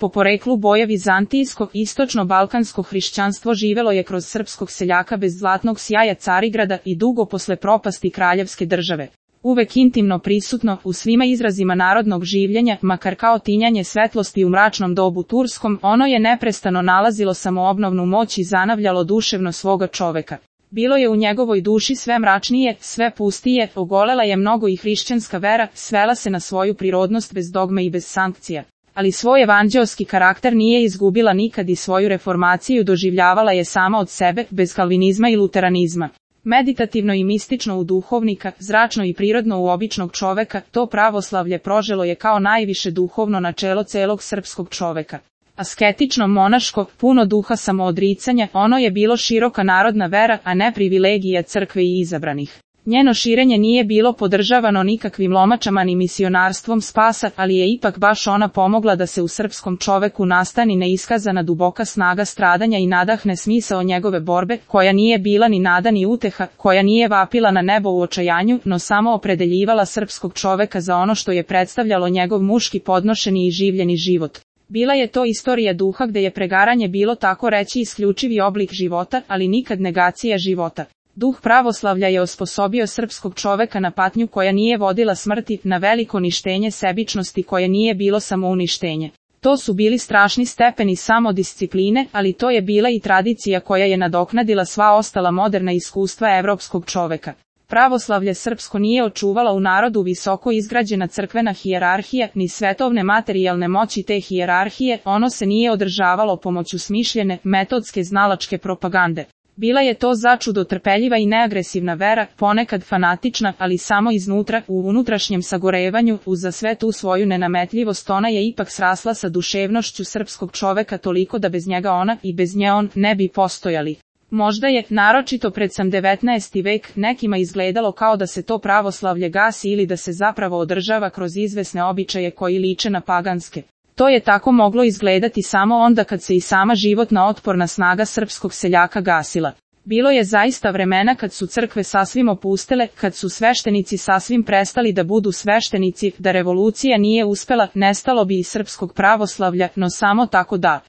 Po poreklu boja vizantijsko, istočno-balkansko hrišćanstvo živelo je kroz srpskog seljaka bez zlatnog sjaja Carigrada i dugo posle propasti kraljevske države. Uvek intimno prisutno u svima izrazima narodnog življenja, makar kao tinjanje svetlosti u mračnom dobu turskom, ono je neprestano nalazilo samoobnovnu moć i zanavljalo duševno svoga čoveka. Bilo je u njegovoj duši sve mračnije, sve pustije, ogolela je mnogo i hrišćanska vera, svela se na svoju prirodnost bez dogme i bez sankcija. Ali svoj evanđeoski karakter nije izgubila nikad i svoju reformaciju doživljavala je sama od sebe, bez kalvinizma i luteranizma. Meditativno i mistično u duhovnika, zračno i prirodno u običnog čoveka, to pravoslavlje proželo je kao najviše duhovno načelo celog srpskog čoveka. Asketično, monaško, puno duha samoodricanja, ono je bilo široka narodna vera, a ne privilegija crkve i izabranih. Njeno širenje nije bilo podržavano nikakvim lomačama ni misionarstvom spasa, ali je ipak baš ona pomogla da se u srpskom čoveku nastani neiskazana duboka snaga stradanja i nadahne smisao njegove borbe, koja nije bila ni nada ni uteha, koja nije vapila na nebo u očajanju, no samo opredeljivala srpskog čoveka za ono što je predstavljalo njegov muški podnošeni i življeni život. Bila je to istorija duha gde je pregaranje bilo tako reći isključivi oblik života, ali nikad negacija života. Duh pravoslavlja je osposobio srpskog čoveka na patnju koja nije vodila smrti, na veliko ništenje sebičnosti koje nije bilo samouništenje. To su bili strašni stepeni samodiscipline, ali to je bila i tradicija koja je nadoknadila sva ostala moderna iskustva evropskog čoveka. Pravoslavlje srpsko nije očuvala u narodu visoko izgrađena crkvena hijerarhija, ni svetovne materijalne moći te hijerarhije, ono se nije održavalo pomoću smišljene, metodske znalačke propagande. Bila je to začudo trpeljiva i neagresivna vera, ponekad fanatična, ali samo iznutra, u unutrašnjem sagorevanju, uza sve tu svoju nenametljivost ona je ipak srasla sa duševnošću srpskog čoveka toliko da bez njega ona i bez nje on ne bi postojali. Možda je, naročito pred sam 19. vek, nekima izgledalo kao da se to pravoslavlje gasi ili da se zapravo održava kroz izvesne običaje koji liče na paganske. To je tako moglo izgledati samo onda kad se i sama životna otporna snaga srpskog seljaka gasila. Bilo je zaista vremena kad su crkve sasvim opustele, kad su sveštenici sasvim prestali da budu sveštenici, da revolucija nije uspela, nestalo bi i srpskog pravoslavlja, no samo tako da.